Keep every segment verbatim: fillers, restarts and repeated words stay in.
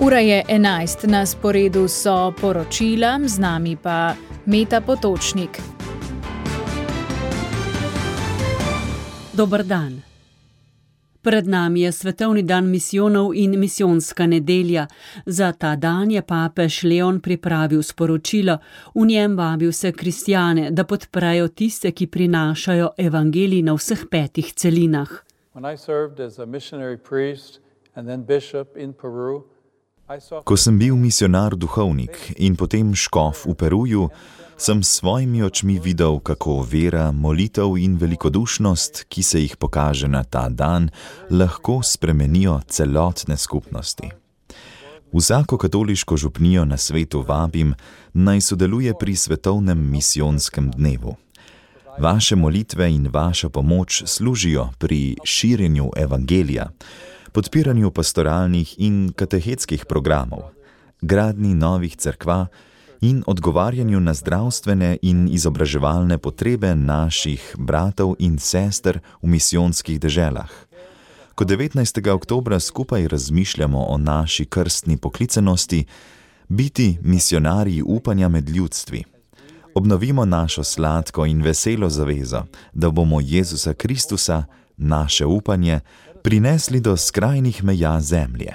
Ura je enajst, na sporedu so poročila, z nami pa Meta Potočnik. Dober dan. Pred nami je svetovni dan misijonov in misijonska nedelja. Za ta dan je papež Leon pripravil sporočilo. V njem vabi vse kristjane, da podprejo tiste, ki prinašajo evangelij na vseh petih celinah. Ko sem bil misionar duhovnik in potem škof v Peruju, sem s svojimi očmi videl, kako vera, molitev in velikodušnost, ki se jih pokaže na ta dan, lahko spremenijo celotne skupnosti. Vsako katoliško župnijo na svetu vabim, naj sodeluje pri svetovnem misijonskem dnevu. Vaše molitve in vaša pomoč služijo pri širjenju evangelija, podpiranju pastoralnih in katehetskih programov, gradnji novih cerkva in odgovarjanju na zdravstvene in izobraževalne potrebe naših bratov in sester v misijonskih deželah. Ko devetnajstega oktobra skupaj razmišljamo o naši krstni poklicanosti, biti misionarji upanja med ljudstvi, obnovimo našo sladko in veselo zavezo, da bomo Jezusa Kristusa, naše upanje, prinesli do skrajnih meja zemlje.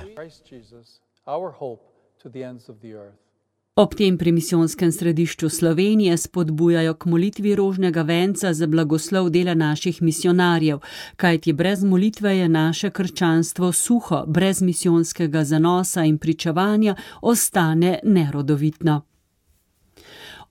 Ob tem pri misijonskem središču Slovenije spodbujajo k molitvi rožnega venca za blagoslov dela naših misijonarjev, kajti brez molitve je naše krščanstvo suho, brez misijonskega zanosa in pričevanja ostane nerodovitno.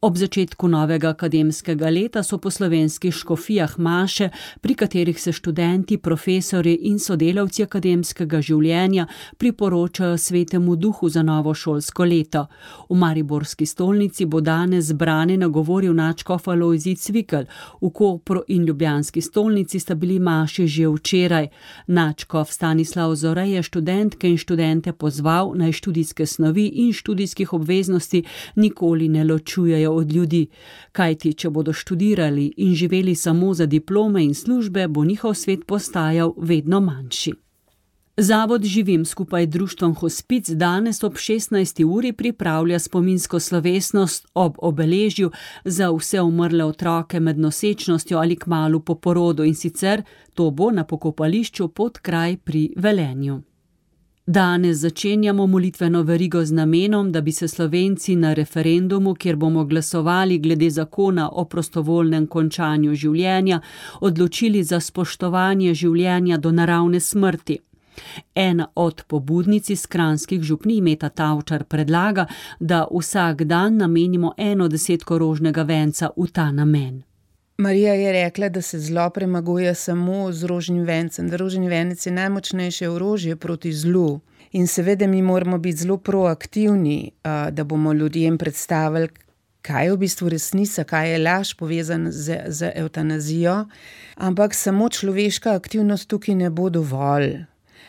Ob začetku novega akademskega leta so po slovenskih škofijah maše, pri katerih se študenti, profesorji in sodelavci akademskega življenja priporočajo Svetemu Duhu za novo šolsko leto. V mariborski stolnici bo danes zbrane nagovoril nadškof Alojzij Cvikl. V Kopru in ljubljanski stolnici sta bili maši že včeraj. Nadškof Stanislav Zore je študentke in študente pozval, naj študijske snovi in študijskih obveznosti nikoli ne ločujejo od ljudi, kajti če bodo študirali in živeli samo za diplome in službe, bo njihov svet postajal vedno manjši. Zavod Živim skupaj društvom Hospic danes ob šestnajsti uri pripravlja spominsko slovesnost ob obeležju za vse umrle otroke med nosečnostjo ali kmalu po porodu, in sicer to bo na pokopališču Podkraj pri Velenju. Danes začenjamo molitveno verigo z namenom, da bi se Slovenci na referendumu, kjer bomo glasovali glede zakona o prostovoljnem končanju življenja, odločili za spoštovanje življenja do naravne smrti. Ena od pobudnic iz kranjskih župnij, Meta Tavčar, predlaga, da vsak dan namenimo eno desetko rožnega venca v ta namen. Marija je rekla, da se zlo premaguje samo z rožnim vencem, da rožni venec je najmočnejše orožje proti zlu. In seveda mi moramo biti zelo proaktivni, da bomo ljudem predstavili, kaj je v bistvu resnica, kaj je laž povezan z, z evtanazijo, ampak samo človeška aktivnost tukaj ne bo dovolj.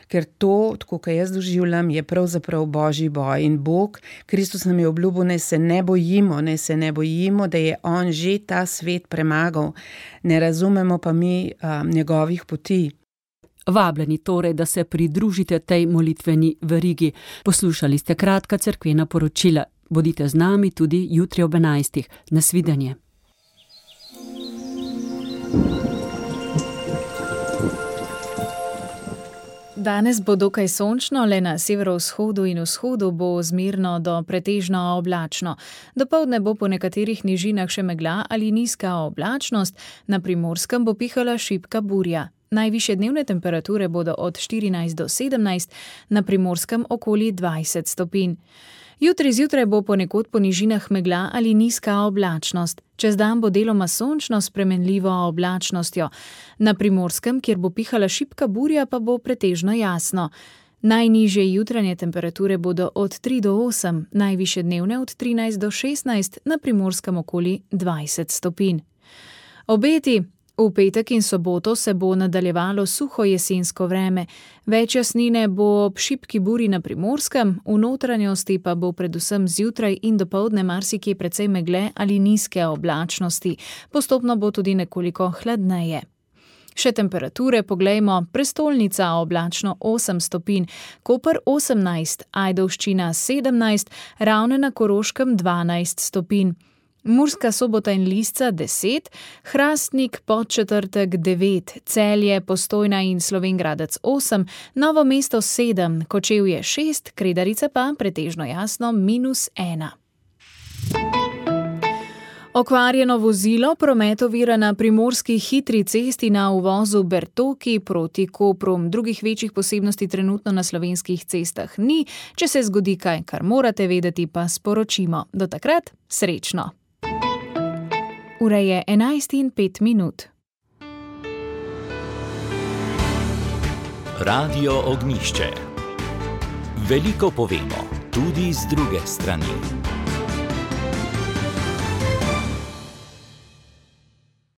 Ker to, tako kot jaz doživljam, je pravzaprav božji boj. In Bog, Kristus nam je obljubil, naj se ne bojimo, naj se ne bojimo, da je on že ta svet premagal. Ne razumemo pa mi um, njegovih poti. Vabljeni torej, da se pridružite tej molitveni verigi. Poslušali ste kratka cerkvena poročila. Bodite z nami tudi jutri ob enajstih. Nasvidenje. Danes bo dokaj sončno, le na severovzhodu in vzhodu bo zmerno do pretežno oblačno. Dopoldne bo po nekaterih nižinah še megla ali nizka oblačnost, na Primorskem bo pihala šibka burja. Najvišje dnevne temperature bodo od štirinajst do sedemnajst, na Primorskem okoli dvajset stopinj. Jutri zjutraj bo ponekod po nižinah megla ali nizka oblačnost. Čez dan bo deloma sončno s spremenljivo oblačnostjo. Na Primorskem, kjer bo pihala šibka burja, pa bo pretežno jasno. Najnižje jutranje temperature bodo od tri do osem, najvišje dnevne od trinajst do šestnajst, na Primorskem okoli dvajset stopinj. Obeti. V petek in soboto se bo nadaljevalo suho jesensko vreme. Več jasnine bo ob šibki buri na Primorskem, v notranjosti pa bo predvsem zjutraj in dopoldne marsikje precej megle ali nizke oblačnosti. Postopno bo tudi nekoliko hladneje. Še temperature poglejmo: prestolnica oblačno osem stopinj, Koper osemnajst, Ajdovščina sedemnajst, Ravne na Koroškem dvanajst stopinj, Murska Sobota in Lisca deset, Hrastnik, Podčetrtek devet, Celje, Postojna in Slovenj Gradec osem, Novo mesto sedem, Kočevje šest, Kredarica pa pretežno jasno minus ena. Okvarjeno vozilo, promet ovira na primorski hitri cesti na uvozu Bertoki proti Kopru. Drugih večjih posebnosti trenutno na slovenskih cestah ni. Če se zgodi kaj, kar morate vedeti, pa sporočimo. Do takrat, srečno! Ura je enajst in pet minut. Radio Ognjišče. Veliko povemo, tudi z druge strani.